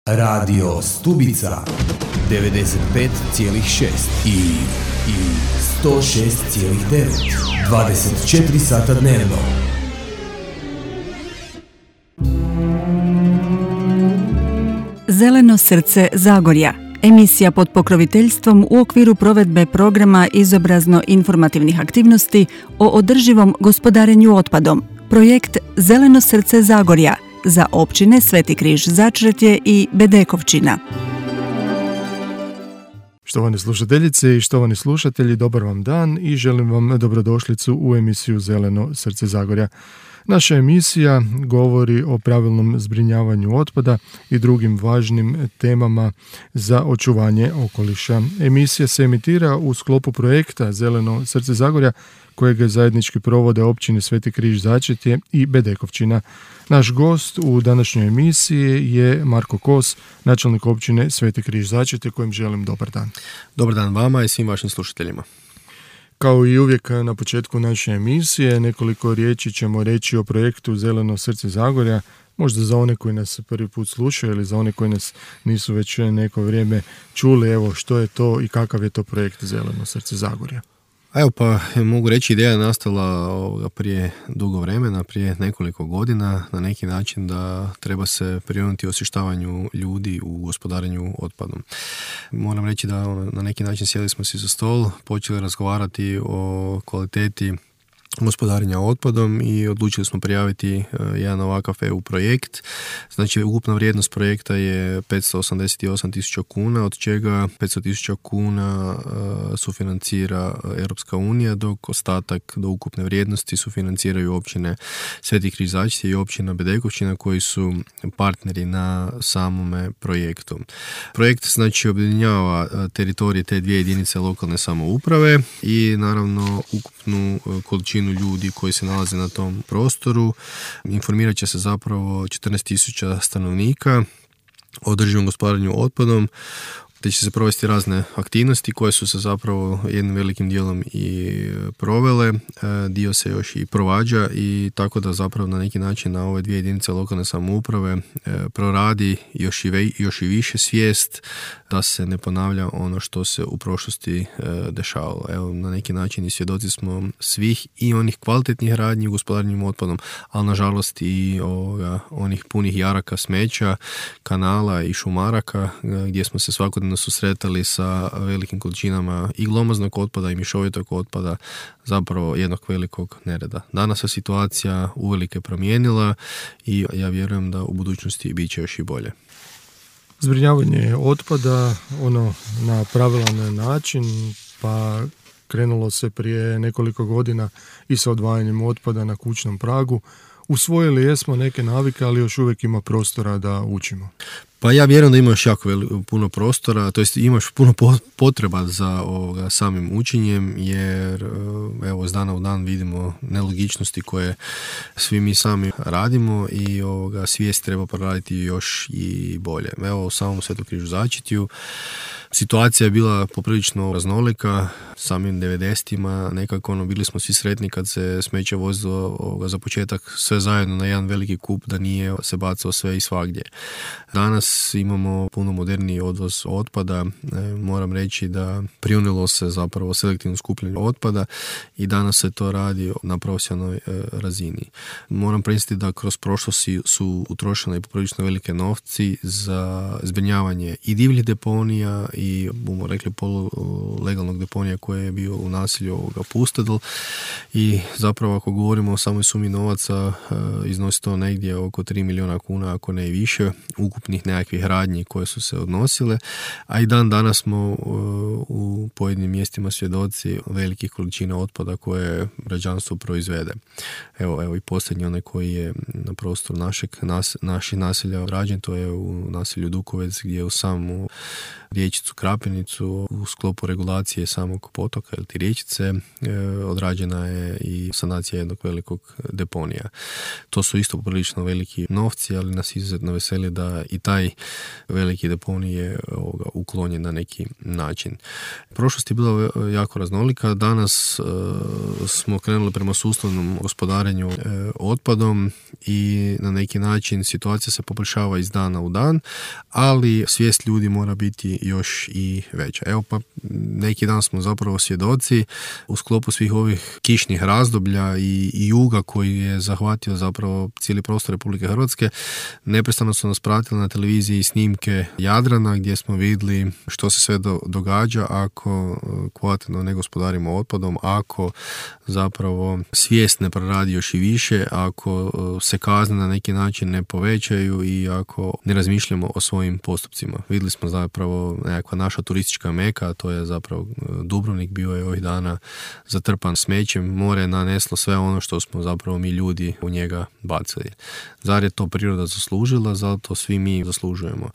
Radio Stubica 95,6 i 106,9 24 sata dnevno. Zeleno srce Zagorja. Emisija pod pokroviteljstvom u okviru provedbe programa izobrazno-informativnih aktivnosti o održivom gospodarenju otpadom. Projekt Zeleno srce Zagorja za općine Sveti Križ Začretje i Bedekovčina. Štovane slušateljice i štovani slušatelji, dobar vam dan i želim vam dobrodošlicu u emisiju Zeleno srce Zagorja. Naša emisija govori o pravilnom zbrinjavanju otpada i drugim važnim temama za očuvanje okoliša. Emisija se emitira u sklopu projekta Zeleno srce Zagorja, kojeg zajednički provode općine Sveti Križ Začretje i Bedekovčina. Naš gost u današnjoj emisiji je Marko Kos, načelnik općine Sveti Križ Začretje, kojem želim dobar dan. Dobar dan vama i svim vašim slušateljima. Kao i uvijek na početku naše emisije, nekoliko riječi ćemo reći o projektu Zeleno srce Zagorja, možda za one koji nas prvi put slušaju ili za one koji nas nisu već neko vrijeme čuli, evo što je to i kakav je to projekt Zeleno srce Zagorja. Evo pa mogu reći, ideja je nastala prije dugo vremena, prije nekoliko godina, na neki način da treba se prionuti osvještavanju ljudi u gospodarenju otpadom. Moram reći da na neki način sjeli smo si za stol, počeli razgovarati o kvaliteti gospodarenja otpadom i odlučili smo prijaviti jedan ovakav EU projekt. Znači, ukupna vrijednost projekta je 588.000 kuna, od čega 500.000 kuna sufinancira Europska unija, dok ostatak do ukupne vrijednosti sufinanciraju općine Sveti Križ Začretje i općina Bedekovčina, koji su partneri na samome projektu. Projekt znači objedinjava teritorije te dvije jedinice lokalne samouprave i naravno ukupnu količinu ljudi koji se nalaze na tom prostoru. Informirat će se zapravo 14.000 stanovnika o održivom gospodarenju otpadom, te će se provesti razne aktivnosti koje su se zapravo jednim velikim dijelom i provele, dio se još i provađa i tako da zapravo na neki način na ove dvije jedinice lokalne samouprave proradi još i više svijest da se ne ponavlja ono što se u prošlosti dešavalo. Evo, na neki način i svjedoci smo svih i onih kvalitetnih radnji u gospodarenju otpadom, ali nažalost i onih punih jaraka smeća, kanala i šumaraka gdje smo se svakodnevno susretali sa velikim količinama i glomaznog otpada i mješovitog otpada, zapravo jednog velikog nereda. Danas se situacija uvelike promijenila i ja vjerujem da u budućnosti bit će još i bolje. Zbrinjavanje otpada na pravilan način, pa krenulo se prije nekoliko godina i sa odvajanjem otpada na kućnom pragu. Usvojili jesmo neke navike, ali još uvijek ima prostora da učimo. Pa ja vjerujem da ima još jako puno prostora, to jest imaš puno potreba za samim učenjem, jer evo, iz dana u dan vidimo nelogičnosti koje svi mi sami radimo i svijest treba poraditi još i bolje. Evo, u samom Svetom Križu Začretju situacija je bila poprilično raznolika. Samim 90-ima nekako bili smo svi sretni kad se smeće vozilo za početak sve zajedno na jedan veliki kup, da nije se bacalo sve i svagdje. Danas imamo puno moderniji odvoz otpada. Moram reći da prionilo se zapravo selektivno skupljanju otpada i danas se to radi na profesionalnoj razini. Moram priznati da kroz prošlost su utrošene poprilično velike novci za zbrinjavanje i divljih deponija i, bomo rekli, polulegalnog deponija koje je bio u naselju Pustedl i zapravo ako govorimo o samoj sumi novaca iznosi to negdje oko 3 milijuna kuna, ako ne i više, ukupnih nekakvih radnji koje su se odnosile, a i danas smo u pojedinim mjestima svjedoci velikih količina otpada koje građanstvo proizvede. Evo i posljednji onaj koji je na prostoru naših naselja rađen, to je u naselju Dukovec, gdje u samu riječicu Krapinicu u sklopu regulacije samog potoka ili ti riječice odrađena je i sanacija jednog velikog deponija. To su isto prilično veliki novci, ali nas izuzetno veseli da i taj veliki deponij je uklonjen na neki način. Prošlost je bila jako raznolika. Danas smo krenuli prema sustavnom gospodarenju otpadom i na neki način situacija se poboljšava iz dana u dan, ali svijest ljudi mora biti još i veća. Evo pa neki dan smo zapravo svjedoci u sklopu svih ovih kišnih razdoblja i juga koji je zahvatio zapravo cijeli prostor Republike Hrvatske. Neprestano su nas pratili na televiziji snimke Jadrana gdje smo vidjeli što se sve događa ako kvalitetno ne gospodarimo otpadom, ako zapravo svijest ne proradi još i više, ako se kazne na neki način ne povećaju i ako ne razmišljamo o svojim postupcima. Vidjeli smo zapravo nekakva naša turistička meka, to je zapravo Dubrovnik, bio je ovih dana zatrpan smećem, more je naneslo sve ono što smo zapravo mi ljudi u njega bacili. Zar je to priroda zaslužila, zato svi mi zaslužujemo.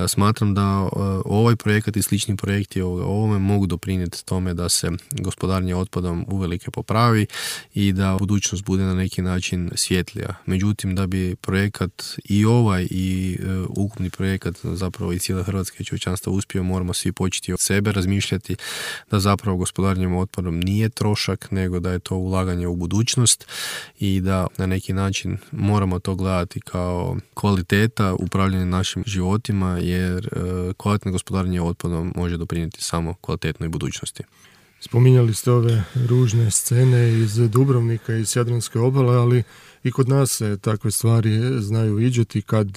Smatram da ovaj projekat i slični projekti ovome mogu doprinijeti tome da se gospodarenje otpadom uvelike popravi i da budućnost bude na neki način svjetlija. Međutim, da bi projekat i ovaj i ukupni projekat zapravo i cijela Hrvatska čovječanstva uspio, moramo svi početi od sebe razmišljati da zapravo gospodarenjem otpadom nije trošak, nego da je to ulaganje u budućnost i da na neki način moramo to gledati kao kvaliteta upravljanja našim životima, jer kvalitetno gospodarenje otpadom može doprinijeti samo kvalitetnoj budućnosti. Spominjali ste ove ružne scene iz Dubrovnika i iz Jadranske obale, ali i kod nas se takve stvari znaju viđati kad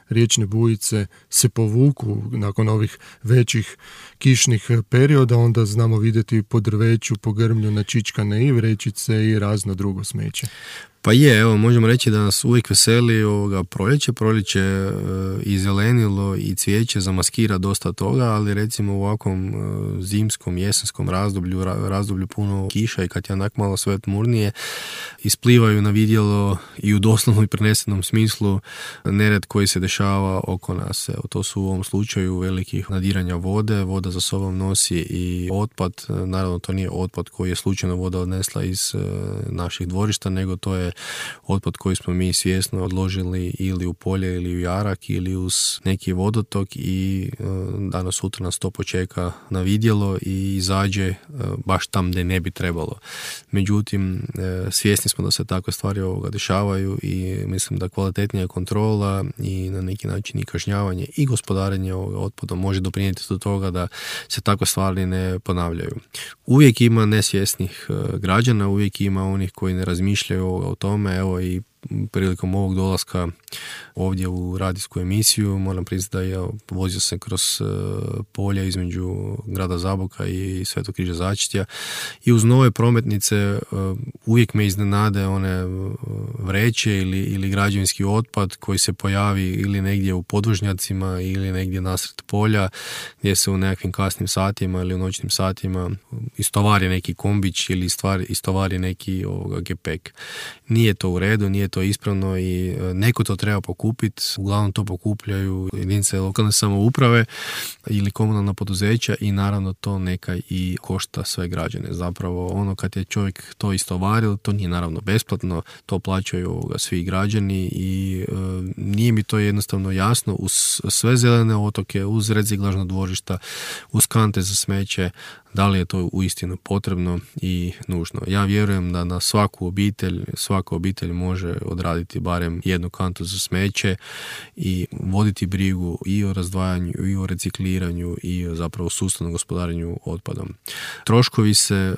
riječne bujice se povuku nakon ovih većih kišnih perioda, onda znamo vidjeti po drveću, po grmlju načičkane i vrećice i razno drugo smeće. Pa je, evo, možemo reći da nas uvijek veseli proljeće i zelenilo i cvijeće zamaskira dosta toga, ali recimo u ovakvom zimskom, jesenskom razdoblju puno kiša i kad je onak malo sve tmurnije, isplivaju na vidjelo i u doslovno i prenesenom smislu nered koji se dešava oko nas. Evo, to su u ovom slučaju velikih nadiranja vode, voda za sobom nosi i otpad, naravno to nije otpad koji je slučajno voda odnesla iz naših dvorišta, nego to je otpad koji smo mi svjesno odložili ili u polje ili u jarak ili uz neki vodotok i danas sutra nas to počeka na vidjelo i izađe baš tam gdje ne bi trebalo. Međutim, svjesni smo da se takve stvari dešavaju i mislim da kvalitetnija kontrola i na neki način i kažnjavanje i gospodarenje otpadom može doprinijeti do toga da se takve stvari ne ponavljaju. Uvijek ima nesvjesnih građana, uvijek ima onih koji ne razmišljaju o tome, evo i prilikom ovog dolaska ovdje u radijsku emisiju moram priznati da ja vozio sam kroz polja između grada Zaboka i Svetog križa Začetja i uz nove prometnice uvijek me iznenade one vreće ili građevinski otpad koji se pojavi ili negdje u podvožnjacima ili negdje nasred polja gdje se u nekakvim kasnim satima ili u noćnim satima istovari neki kombić ili istovari neki gepek. Nije to u redu, nije to ispravno i neko to treba pokupiti. Uglavnom to pokupljaju jedinice lokalne samouprave ili komunalna poduzeća i naravno to neka i košta sve građane. Zapravo ono kad je čovjek to istovaril, to nije naravno besplatno, to plaćaju svi građani i nije mi to jednostavno jasno uz sve zelene otoke, uz reciklažna dvorišta, uz kante za smeće, da li je to uistinu potrebno i nužno. Ja vjerujem da na svaka obitelj može odraditi barem jednu kantu za smeće i voditi brigu i o razdvajanju i o recikliranju i o zapravo sustavnom gospodarenju otpadom. Troškovi se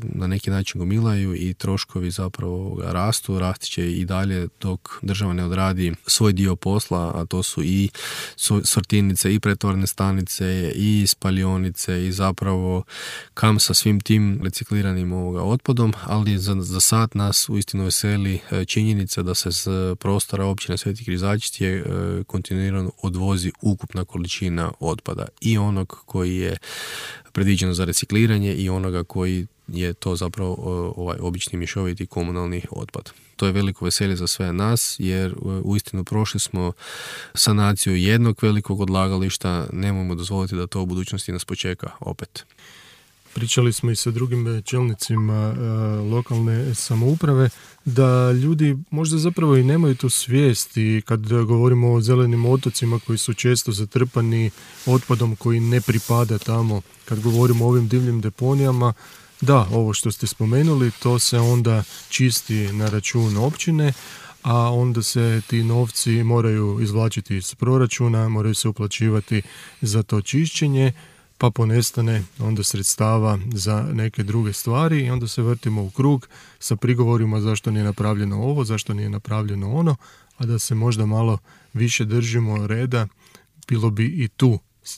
na neki način gomilaju i troškovi zapravo rasti će i dalje dok država ne odradi svoj dio posla, a to su i sortirnice i pretvarne stanice i spalionice i zapravo kam sa svim tim recikliranim otpadom, ali za sad nas uistinu veseli činjenica da se s prostora općine Sveti Križačitje kontinuirano odvozi ukupna količina otpada i onog koji je predviđeno za recikliranje i onoga koji je to zapravo obični mješoviti komunalni otpad. To je veliko veselje za sve nas, jer uistinu prošli smo sanaciju jednog velikog odlagališta, nemojmo dozvoliti da to u budućnosti nas počeka opet. Pričali smo i sa drugim čelnicima lokalne samouprave da ljudi možda zapravo i nemaju tu svijest, i kad govorimo o zelenim otocima koji su često zatrpani otpadom koji ne pripada tamo, kad govorimo o ovim divljim deponijama, da, ovo što ste spomenuli, to se onda čisti na račun općine, a onda se ti novci moraju izvlačiti iz proračuna, moraju se uplaćivati za to čišćenje, pa ponestane onda sredstava za neke druge stvari i onda se vrtimo u krug sa prigovorima zašto nije napravljeno ovo, zašto nije napravljeno ono, a da se možda malo više držimo reda, bilo bi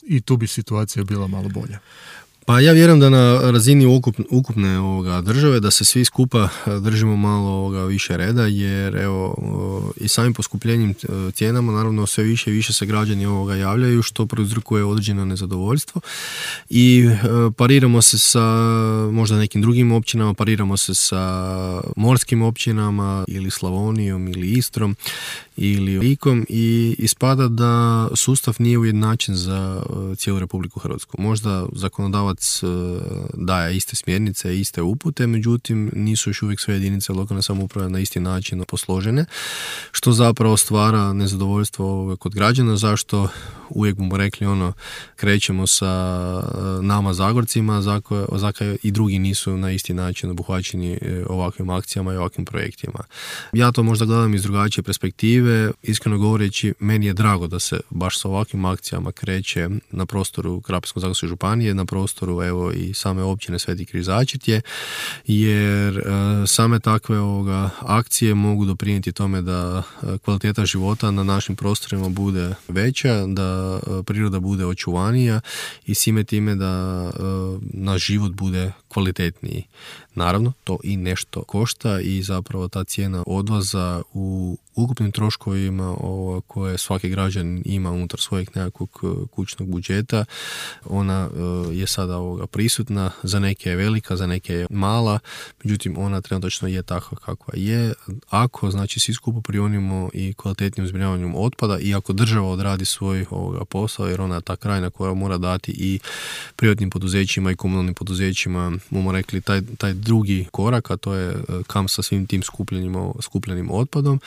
i tu bi situacija bila malo bolja. Pa ja vjerujem da na razini ukupne države da se svi skupa držimo malo više reda, jer evo i samim poskupljenjem cijenama naravno sve više i više se građani javljaju, što prouzrokuje određeno nezadovoljstvo i pariramo se sa možda nekim drugim općinama, pariramo se sa morskim općinama ili Slavonijom ili Istrom ili Likom i ispada da sustav nije ujednačen za cijelu Republiku Hrvatsku. Možda zakonodavac daje iste smjernice, iste upute, međutim nisu još uvijek sve jedinice lokalne samouprave na isti način posložene, što zapravo stvara nezadovoljstvo kod građana. Zašto uvijek bomo rekli krećemo sa nama Zagorcima, zakaj i drugi nisu na isti način obuhvaćeni ovakvim akcijama i ovakvim projektima. Ja to možda gledam iz drugačije perspektive. Iskreno govoreći, meni je drago da se baš sa ovakvim akcijama kreće na prostoru Krapinsko-zagorske županije, na prostoru evo i same općine Sveti Križačitje, jer same takve akcije mogu doprinijeti tome da kvaliteta života na našim prostorima bude veća, da priroda bude očuvanija i svime time da naš život bude kvalitetniji. Naravno, to i nešto košta i zapravo ta cijena odvoza u ukupnim troškovima koje svaki građan ima unutar svojeg nekakvog kućnog budžeta, ona je sada prisutna, za neke je velika, za neke je mala, međutim ona trenutno je takva kakva je. Ako znači svi skupo prionimo i kvalitetnim zbrinjavanjem otpada i ako država odradi svoj posao, jer ona je ta krajina koja mora dati i privatnim poduzećima i komunalnim poduzećima, bomo rekli, taj drugi korak, a to je kam sa svim tim skupljenim otpadom.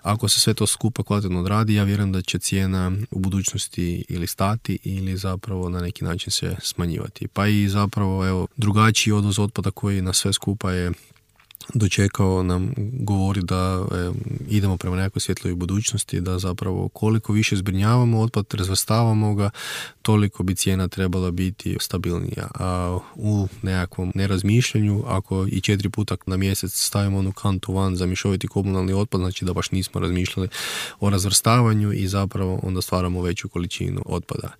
Ako se sve to skupa kvalitetno odradi, ja vjerujem da će cijena u budućnosti ili stati ili zapravo na neki način se smanjivati. Pa i zapravo evo, drugačiji odvoz otpada koji na sve skupa je dočekao nam govori da idemo prema nekakvoj svjetloj budućnosti, da zapravo koliko više zbrinjavamo otpad, razvrstavamo ga, toliko bi cijena trebala biti stabilnija. A u nekakvom nerazmišljanju, ako i 4 puta na mjesec stavimo onu kantu van za mješoviti komunalni otpad, znači da baš nismo razmišljali o razvrstavanju i zapravo onda stvaramo veću količinu otpada.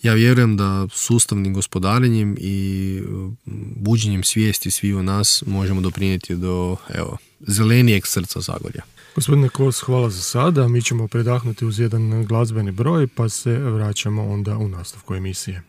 Ja vjerujem da sustavnim gospodarenjem i buđenjem svijesti svi u nas možemo doprinijeti do zelenijeg srca Zagorja. Gospodine Kos, hvala za sada. Mi ćemo predahnuti uz jedan glazbeni broj, pa se vraćamo onda u nastavku emisije.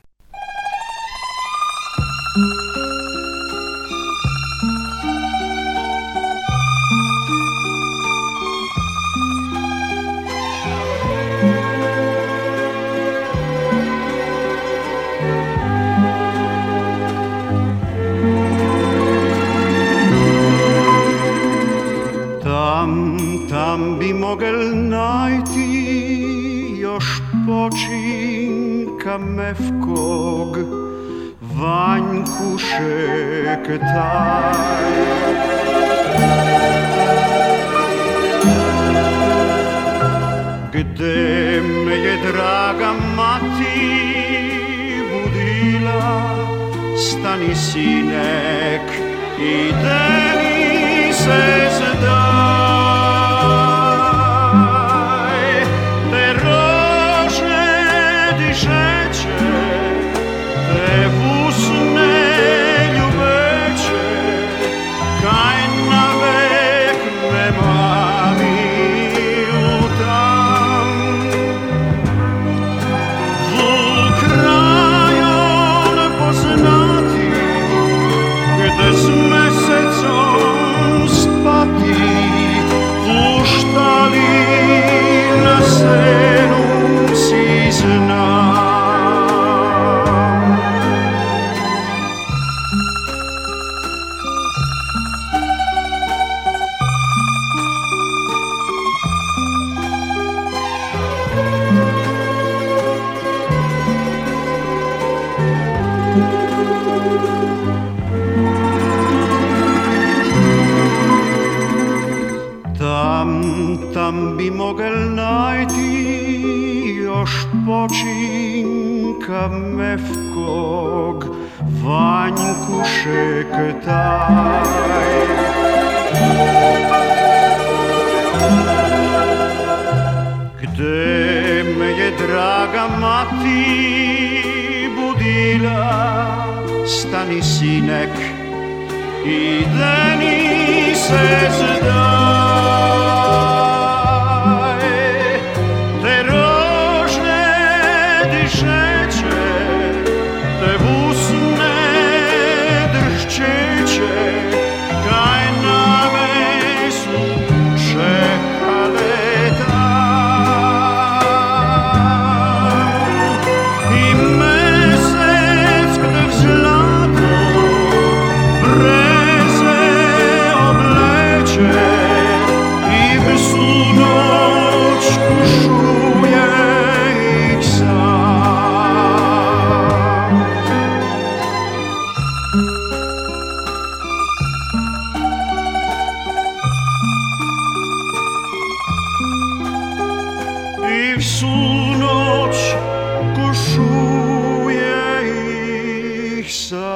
Tam bi mogel najti još počinka mevkog, Vanjkušek taj. Gde me je draga mati budila, stani sinek, ide mi se zdaj. Kaj na vek me Očinka mevkog Vanjku šektaj. Gde me je draga mati budila, stani sinek, ideni se zdaj. Te rožne dišeće, te usne drščeće, kaj name su čekale tam. I mesec gde v zlato breze obleče i v snu noć kušuje ih sam. I v snu noć kušuje ih sam.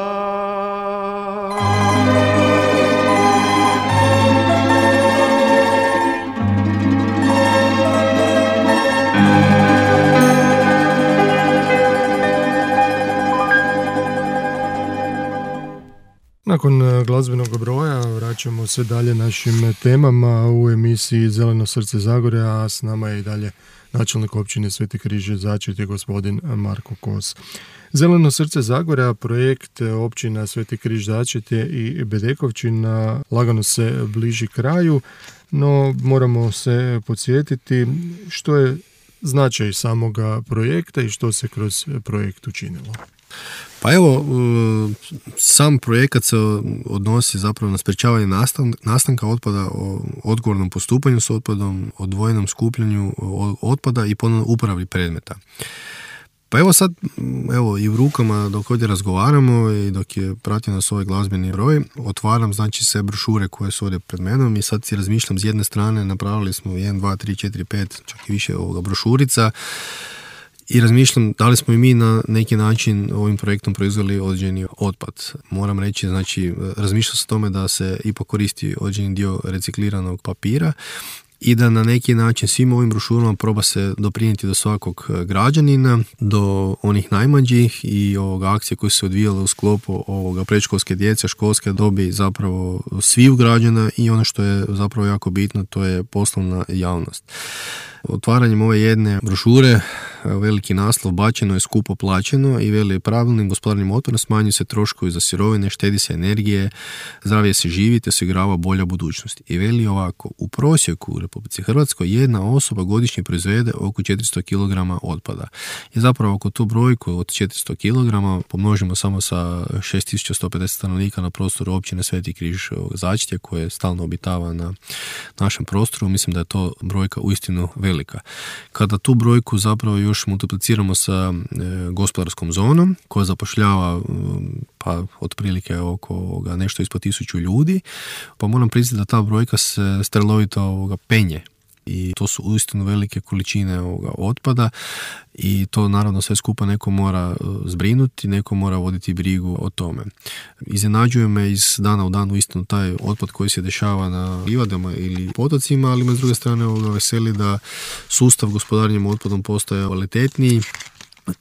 Nakon glazbenog broja vraćamo se dalje našim temama u emisiji Zeleno srce Zagorja, a s nama je i dalje načelnik općine Sveti Križ Začretje gospodin Marko Kos. Zeleno srce Zagorja, projekt općina Sveti Križ Začretje i Bedekovčina lagano se bliži kraju, no moramo se podsjetiti što je značaj samoga projekta i što se kroz projekt učinilo. Pa evo, sam projekat se odnosi zapravo na sprječavanje nastanka otpada, o odgovornom postupanju s otpadom, odvojenom skupljanju otpada i ponovno uporabi predmeta. Pa evo sad, i u rukama dok ovdje razgovaramo i dok je pratio nas ovaj glazbeni broj, otvaram znači sve brošure koje su ovdje pred menom i sad si razmišljam, s jedne strane napravili smo 1, 2, 3, 4, 5, čak i više brošurica, i razmišljam da li smo i mi na neki način ovim projektom proizveli određeni otpad. Moram reći, znači, razmišljam se o tome da se ipak koristi određeni dio recikliranog papira i da na neki način svim ovim brošurama proba se doprinijeti do svakog građanina, do onih najmlađih i akcije koje su se odvijale u sklopu predškolske djece, školske dobi, zapravo svih građana i ono što je zapravo jako bitno, to je poslovna javnost. Otvaranjem ove jedne brošure, veliki naslov bačeno je skupo plaćeno i veli pravilnim gospodarnim otpadom smanjuju se troškovi za sirovine, štedi se energije, zdravije se živi te se igrava bolja budućnost. I veli ovako, u prosjeku u Republici Hrvatskoj jedna osoba godišnje proizvede oko 400 kg otpada. I zapravo ako tu brojku od 400 kg pomnožimo samo sa 6150 stanovnika na prostoru općine Sveti Križ Začretje koje stalno obitava na našem prostoru, mislim da je to brojka uistinu velika. Kada tu brojku zapravo još multipliciramo sa gospodarskom zonom koja zapošljava pa otprilike oko nešto ispod 1000 ljudi, pa moram priznati da ta brojka se strelovito penje. I to su uistinu velike količine otpada i to naravno sve skupa neko mora zbrinuti, neko mora voditi brigu o tome. Iznenađuje me iz dana u dan uistinu taj otpad koji se dešava na livadama ili potocima, ali me s druge strane veseli da sustav gospodarenja otpadom postaje kvalitetniji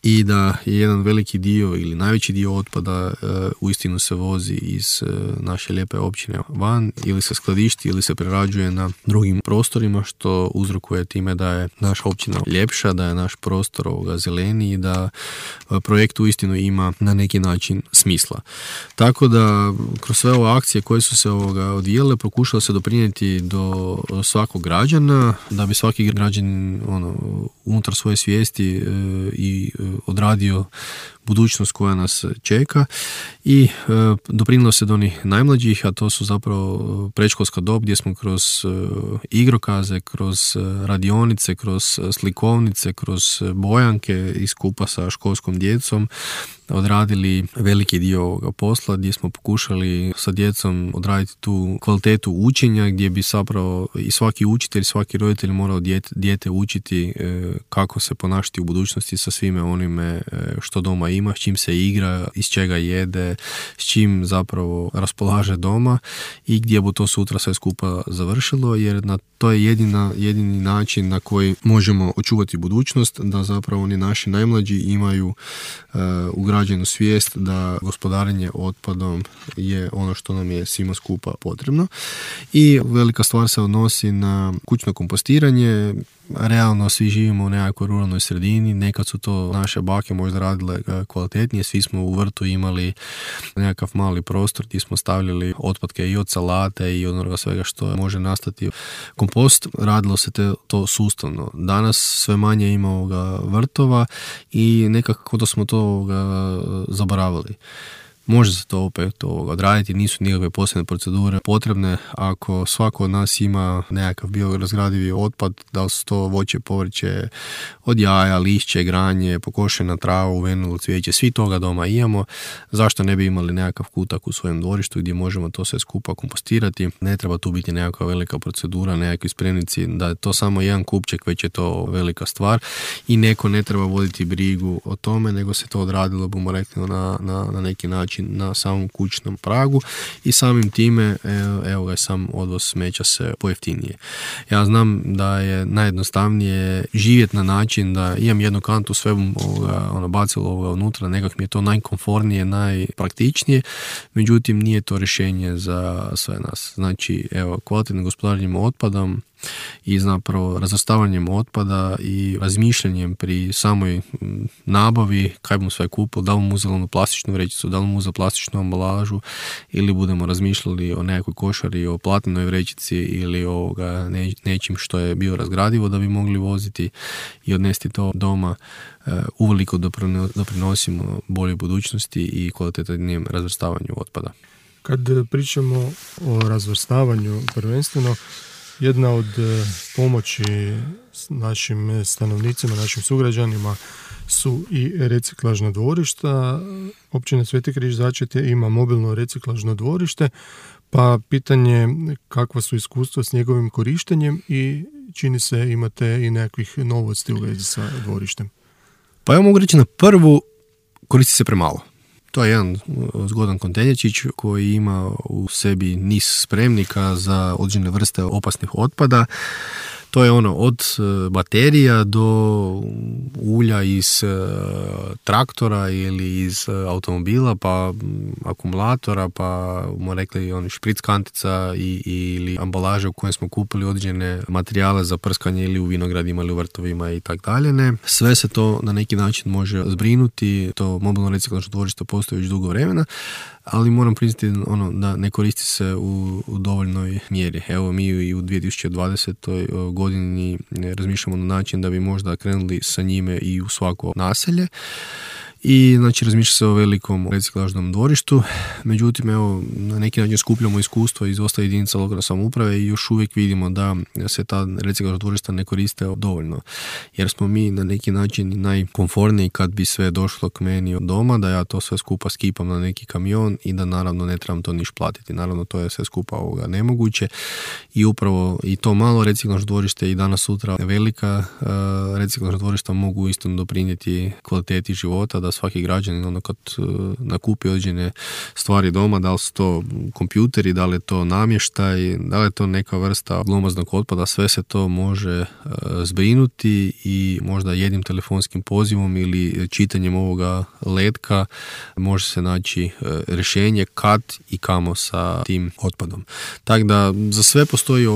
i da je jedan veliki dio ili najveći dio otpada uistinu se vozi iz naše lijepe općine van ili se skladišti ili se prerađuje na drugim prostorima, što uzrokuje time da je naša općina ljepša, da je naš prostor zeleniji i da projekt uistinu ima na neki način smisla. Tako da kroz sve ove akcije koje su se odvijale pokušalo se doprinijeti do svakog građana, da bi svaki građanin unutar svoje svijesti i odradio budućnost koja nas čeka i doprinose do onih najmlađih, a to su zapravo predškolska dob gdje smo kroz igrokaze, kroz radionice, kroz slikovnice, kroz bojanke i skupa sa školskom djecom odradili veliki dio ovoga posla gdje smo pokušali sa djecom odraditi tu kvalitetu učenja gdje bi zapravo i svaki učitelj, svaki roditelj morao dijete učiti kako se ponašati u budućnosti sa svime onime što doma ima, s čim se igra, iz čega jede, s čim zapravo raspolaže doma i gdje bi to sutra sve skupa završilo, jer to je jedini način na koji možemo očuvati budućnost, da zapravo oni naši najmlađi imaju ugrađenu svijest da gospodarenje otpadom je ono što nam je svima skupa potrebno. I velika stvar se odnosi na kućno kompostiranje. Realno svi živimo u nekakvoj ruralnoj sredini, nekad su to naše bake možda radile kvalitetnije, svi smo u vrtu imali nekakav mali prostor gdje smo stavljali otpadke i od salate i od onoga svega što može nastati kompost, radilo se to sustavno. Danas sve manje ima ovoga vrtova i nekako da smo to zaboravili. Može se to opet odraditi, nisu nikakve posebne procedure potrebne. Ako svako od nas ima nekakav biorazgradivi otpad, da li su to voće, povrće, od jaja, lišće, granje, pokošena trava, uvenulo cvijeće, svi toga doma imamo. Zašto ne bi imali nekakav kutak u svojem dvorištu gdje možemo to sve skupa kompostirati? Ne treba tu biti nekakva velika procedura, nekakvi spremnici, da je to samo jedan kupček, već je to velika stvar i neko ne treba voditi brigu o tome, nego se to odradilo, bomo rekli, na neki način na samom kućnom pragu i samim time evo ga, sam odvoz smeća se pojeftinije. Ja znam da je najjednostavnije živjeti na način da imam jednu kantu, sve bacilo unutra, nekako mi je to najkomfornije, najpraktičnije, međutim nije to rješenje za sve nas. Znači, evo, kvalitetnim gospodarenjem otpadom i zapravo razvrstavanjem otpada i razmišljanjem pri samoj nabavi kaj bomo sve kupili, da li bomo uzeli onu plastičnu vrećicu, da li bomo uzeli plastičnu ambalažu ili budemo razmišljali o nekakvoj košari, o platnenoj vrećici ili o nečim što je bio razgradivo da bi mogli voziti i odnesti to doma, uveliko doprinosimo boljoj budućnosti i kvalitetnijem razvrstavanju otpada. Kad pričamo o razvrstavanju prvenstveno, jedna od pomoći našim stanovnicima, našim sugrađanima su i reciklažna dvorišta. Općina Sveti Križ Začetje ima mobilno reciklažno dvorište, pa pitanje kakva su iskustva s njegovim korištenjem i čini se imate i nekakvih novosti u vezi sa dvorištem. Pa ja mogu reći na prvu, koristi se premalo. To je jedan zgodan kontejnerčić koji ima u sebi niz spremnika za određene vrste opasnih otpada. To je od baterija do ulja iz traktora ili iz automobila, pa akumulatora, pa smo rekli špric kantica ili ambalaže u kojoj smo kupili određene materijale za prskanje ili u vinogradima ili u vrtovima i tako dalje. Sve se to na neki način može zbrinuti. To mobilno reciklažno dvorište postoji već dugo vremena, ali moram priznati da ne koristi se u dovoljnoj mjeri. Evo, mi i u 2020. godini razmišljamo na način da bi možda krenuli sa njime i u svako naselje. I znači razmišlja se o velikom reciklažnom dvorištu, međutim evo na neki način skupljamo iskustvo iz dosta jedinica lokalne samouprave i još uvijek vidimo da se ta reciklažna dvorišta ne koriste dovoljno, jer smo mi na neki način najkomforniji kad bi sve došlo k meni od doma, da ja to sve skupa skipam na neki kamion i da naravno ne trebam to niš platiti. Naravno to je sve skupa nemoguće i upravo i to malo reciklažno dvorište i danas sutra velika reciklažna dvorišta mogu isto doprinijeti kvaliteti života, da svaki građanin kad nakupi određene stvari doma, da li su to kompjuteri, da li je to namještaj, da li je to neka vrsta glomaznog otpada, sve se to može zbrinuti i možda jednim telefonskim pozivom ili čitanjem ovoga letka može se naći rješenje kad i kamo sa tim otpadom. Tako da za sve postoji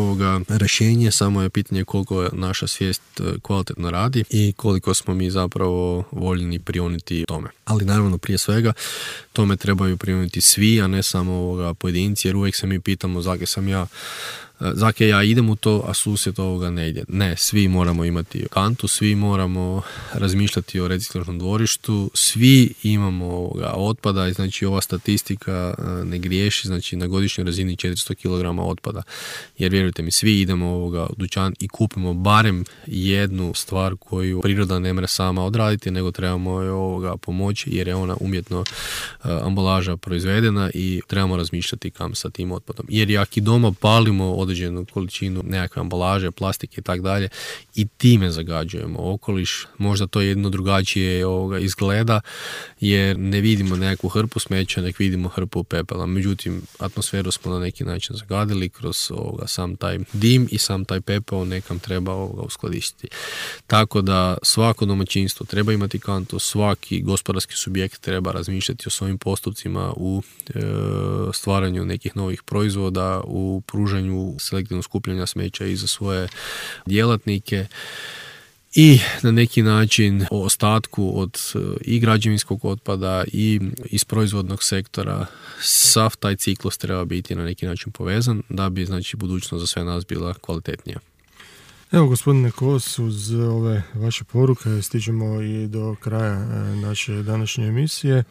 rješenje, samo je pitanje koliko naša svijest kvalitetno radi i koliko smo mi zapravo voljni prioniti tome. Ali naravno prije svega tome trebaju prioniti svi, a ne samo pojedinci, jer uvijek se mi pitamo zakaj sam ja Zake ja idem u to, a susjed ovoga ne ide. Ne, svi moramo imati kantu, svi moramo razmišljati o reciklažnom dvorištu, svi imamo otpada i znači ova statistika ne griješi, znači na godišnjoj razini 400 kg otpada. Jer vjerujte mi, svi idemo u dućan i kupimo barem jednu stvar koju priroda ne mre sama odraditi, nego trebamo joj pomoći jer je ona umjetno ambalaža proizvedena i trebamo razmišljati kam sa tim otpadom. Jer ako i doma palimo određenu količinu nekakve ambalaže, plastike i tako dalje i time zagađujemo okoliš, možda to jedno drugačije izgleda jer ne vidimo nekakvu hrpu smeća, nek vidimo hrpu pepela. Međutim, atmosferu smo na neki način zagadili kroz sam taj dim i sam taj pepeo nekam treba uskladištiti. Tako da svako domaćinstvo treba imati kantu, svaki gospodarski subjekt treba razmišljati o svojim postupcima u stvaranju nekih novih proizvoda, u pružanju selektivnog skupljanja smeća i za svoje djelatnike i na neki način o ostatku od i građevinskog otpada i iz proizvodnog sektora. Sav taj ciklus treba biti na neki način povezan da bi znači budućnost za sve nas bila kvalitetnija. Evo, gospodine Kos, uz ove vaše poruke stižemo i do kraja naše današnje emisije.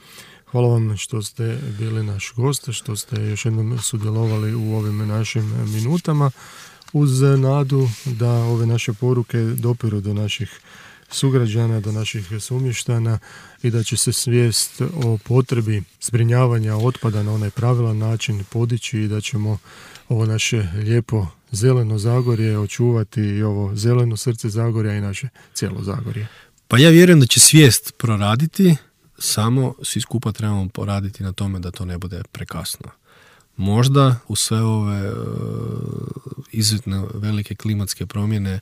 Hvala vam što ste bili naš gost, što ste još jednom sudjelovali u ovim našim minutama, uz nadu da ove naše poruke dopiru do naših sugrađana, do naših sumještana i da će se svijest o potrebi zbrinjavanja otpada na onaj pravilan način podići i da ćemo ovo naše lijepo zeleno Zagorje očuvati i ovo zeleno srce Zagorja i naše cijelo Zagorje. Pa ja vjerujem da će svijest proraditi, samo svi skupa trebamo poraditi na tome da to ne bude prekasno. Možda u sve ove izuzetno velike klimatske promjene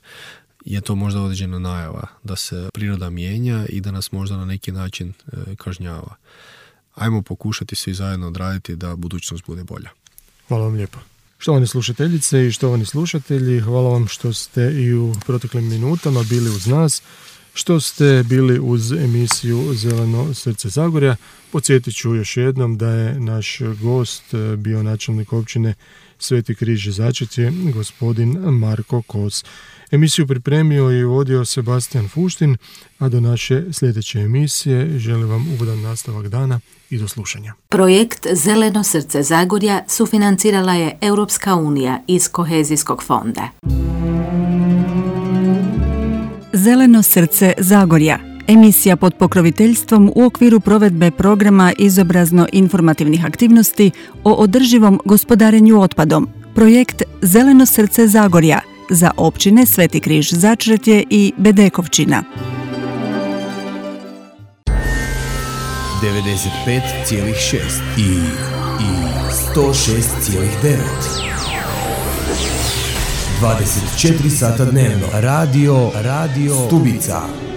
je to možda određena najava da se priroda mijenja i da nas možda na neki način kažnjava. Ajmo pokušati svi zajedno odraditi da budućnost bude bolja. Hvala vam lijepo. Štovane slušateljice i štovani slušatelji, hvala vam što ste i u proteklim minutama bili uz nas, što ste bili uz emisiju Zeleno srce Zagorja. Podsjetit ću još jednom da je naš gost bio načelnik općine Sveti Križ Začetje, gospodin Marko Kos. Emisiju pripremio i vodio Sebastian Fuštin, a do naše sljedeće emisije želim vam ugodan nastavak dana i do slušanja. Projekt Zeleno srce Zagorja sufinancirala je Europska unija iz Kohezijskog fonda. Zeleno srce Zagorja. Emisija pod pokroviteljstvom u okviru provedbe programa izobrazno-informativnih aktivnosti o održivom gospodarenju otpadom. Projekt Zeleno srce Zagorja za općine Sveti Križ Začretje i Bedekovčina. 95,6 i 106,9. 24 sata dnevno. Radio Stubica.